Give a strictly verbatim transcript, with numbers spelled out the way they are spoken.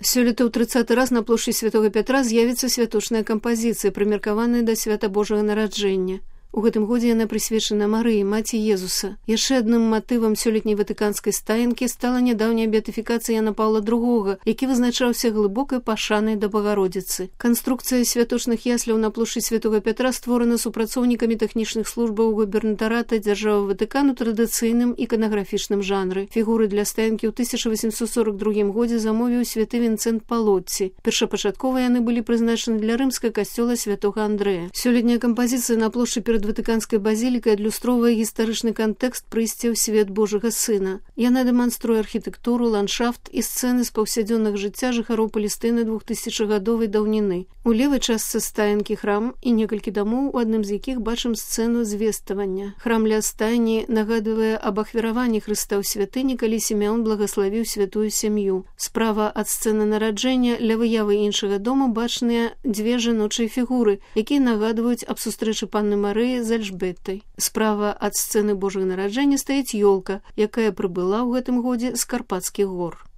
Сёлета ў трыццаты раз на плошчы Святога Пятра з'явіцца святочная кампазіцыя, прымеркаваная да свята Божага нараджэння. У гэтым годзе яна прысвечана Марыі, маці Езуса. Яшчэ адным матывам сёлетняй ватыканскай стаянкі стала нядаўняя беатыфікацыя Яна Паўла другога, які вызначаўся глыбокай пашанай да Багародзіцы. Канструкцыя святочных ясляў на плошчы Святога Пятра створана супрацоўнікамі тэхнічных службаў губернатарата дзяржавы Ватыкану традыцыйным іканаграфічным жанры. Фігуры для стаянкі ў тысяча васемсот сорок другім годзе замовіў святы Вінцэнт Палотці. Першапачаткова яны былі прызначаны для рымскага касцёла святога Андрэя. Сёлетняя кампазіцыя на плошчы перад ватыканскай базілікай адлюстроўвае гістарычны кантэкст прыйсця ў свет Божага Сына. Яна дэманструе архітэктуру, ландшафт і сцэны з паўсядзённага жыцця жыхароў Палестыны двухтысячагадовай даўніны. У левай частцы стаянкі храм і некалькі дамоў, у адным з якіх бачым сцэну звеставання. Храм ля стайні нагадвае аб ахвяраванні Хрыста ў святыні, калі Сімеон благаславіў святую сям'ю. Справа ад сцэны нараджэння ля выявы іншага дома бачныя дзве жаночыя фігуры, якія нагадваюць аб сустрэчы панны Марыі з Альжбеттай. Справа ад сцэны Божага нараджэння стаіць ёлка, якая прыбыла ў гэтым годзе з Карпатскіх гор.